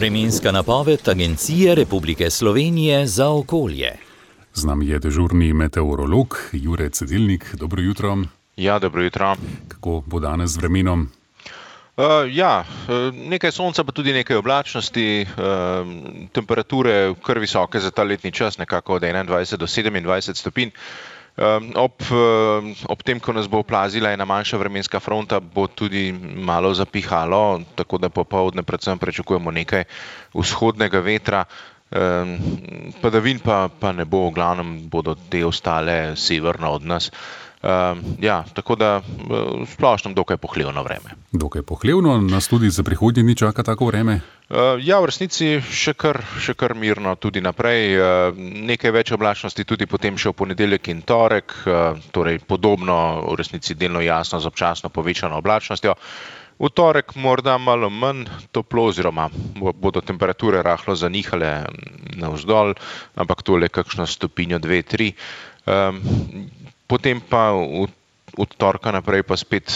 Vremenska napoved Agencije Republike Slovenije za okolje. Z nami je dežurni meteorolog Jure Cedilnik. Dobro jutro. Ja, dobro jutro. Kako bo danes z vremenom? Nekaj sonca, pa tudi nekaj oblačnosti, temperature kar visoke za ta letni čas, nekako od 21 do 27 stopinj. Ob tem, ko nas bo oplazila ena manjša vremenska fronta, bo tudi malo zapihalo, tako da popoldne predvsem pričakujemo nekaj vzhodnega vetra. Padavin pa ne bo, v glavnem bodo te ostale severno od nas. Tako da v splošnem dokaj pohlevno vreme. Dokaj pohlevno, nas tudi za prihodnje dni čaka tako vreme? V resnici še kar mirno tudi naprej. Nekaj več oblačnosti tudi potem še v ponedeljek in torek, torej podobno, v resnici delno jasno z občasno povečano oblačnostjo. V torek morda malo manj toplo, oziroma bodo temperature rahlo zanihale navzdol, ampak tole kakšno stopinjo, 2, 3. Potem pa od torka naprej pa spet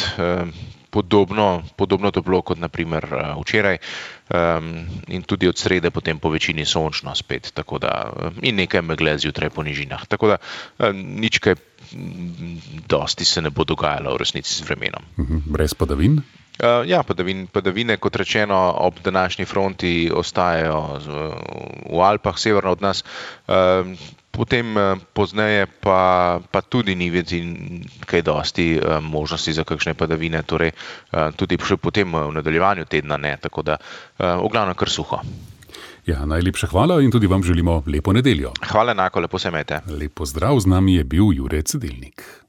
podobno toplo kot na primer včeraj, in tudi od srede potem po večini sončno spet, tako da in nekaj megle zjutraj po nižinah. Tako da nič kaj dosti se ne bo dogajalo v resnici z vremenom. Brez padavin? Padavine, kot rečeno, ob današnji fronti ostajajo v Alpah, severno od nas. Potem pozneje pa tudi ni videti kaj dosti možnosti za kakšne padavine, torej tudi še potem v nadaljevanju tedna ne, tako da v glavnem kar suho. Ja, najlepša hvala in tudi vam želimo lepo nedeljo. Hvala enako, lepo se imejte. Lep pozdrav, z nami je bil Jure Cedilnik.